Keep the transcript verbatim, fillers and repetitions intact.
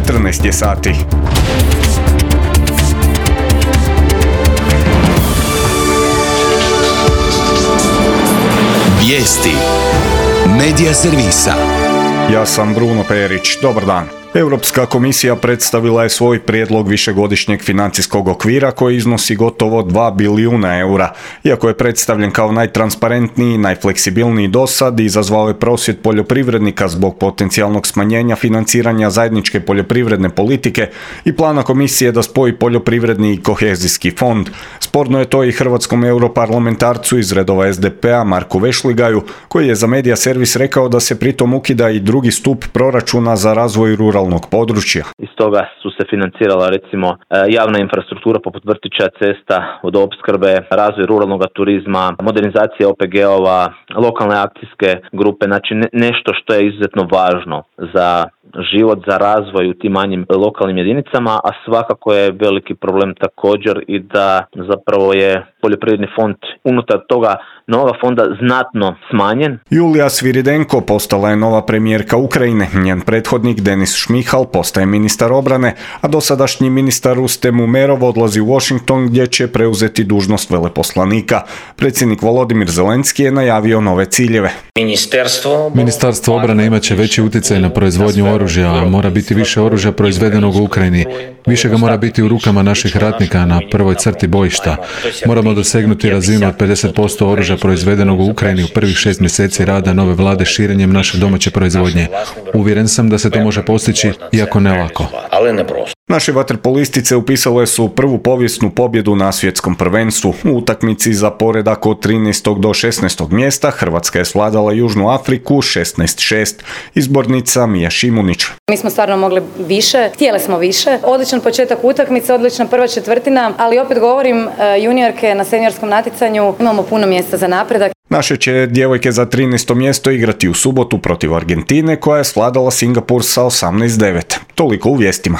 četrnaest je sati. Vijesti Medija servisa. Ja sam Bruno Perić. Dobar dan. Europska komisija predstavila je svoj prijedlog višegodišnjeg financijskog okvira koji iznosi gotovo dva bilijuna eura. Iako je predstavljen kao najtransparentniji i najfleksibilniji dosad, izazvao je prosvjed poljoprivrednika zbog potencijalnog smanjenja financiranja zajedničke poljoprivredne politike i plana komisije da spoji poljoprivredni i kohezijski fond. Sporno je to i hrvatskom europarlamentarcu iz redova es de pe a Marku Vešligaju, koji je za Medija servis rekao da se pritom ukida i drugi stup proračuna za razvoj ruralnog područja. Iz toga su se financirala recimo javna infrastruktura poput vrtića, cesta, vodoopskrbe, razvoj ruralnog turizma, modernizacija o pe ge ova, lokalne akcijske grupe, znači nešto što je izuzetno važno za život, za razvoj u tim manjim lokalnim jedinicama, a svakako je veliki problem također i da zapravo je poljoprivredni fond unutar toga novog fonda znatno smanjen. Julija Sviridenko postala je nova premijerka Ukrajine. Njen prethodnik Denis Šmihal postaje ministar obrane, a dosadašnji ministar Rustem Umerov odlazi u Washington gdje će preuzeti dužnost veleposlanika. Predsjednik Volodimir Zelenski je najavio nove ciljeve. Ministarstvo obrane imat će veći utjecaj na proizvodnju oružja, a mora biti više oružja proizvedenog u Ukrajini. Više ga mora biti u rukama naših ratnika na prvoj crti bojišta. Moramo dosegnuti razinu od pedeset posto oružja proizvedenog u Ukrajini u prvih šest mjeseci rada nove vlade širenjem naše domaće proizvodnje. Uvjeren sam da se to može postići, iako ne lako. Naše vaterpolistice upisale su prvu povijesnu pobjedu na svjetskom prvenstvu. U utakmici za poredak od trinaestog do šesnaestog mjesta Hrvatska je svladala Južnu Afriku šesnaest šest. Izbornica Mija Šimunić. Mi smo stvarno mogli više, htjeli smo više. Odličan početak utakmice, odlična prva četvrtina, ali opet govorim, juniorke na seniorskom natjecanju imamo puno mjesta za napredak. Naše će djevojke za trinaesto mjesto igrati u subotu protiv Argentine koja je svladala Singapur sa osamnaest devet. Toliko u vijestima.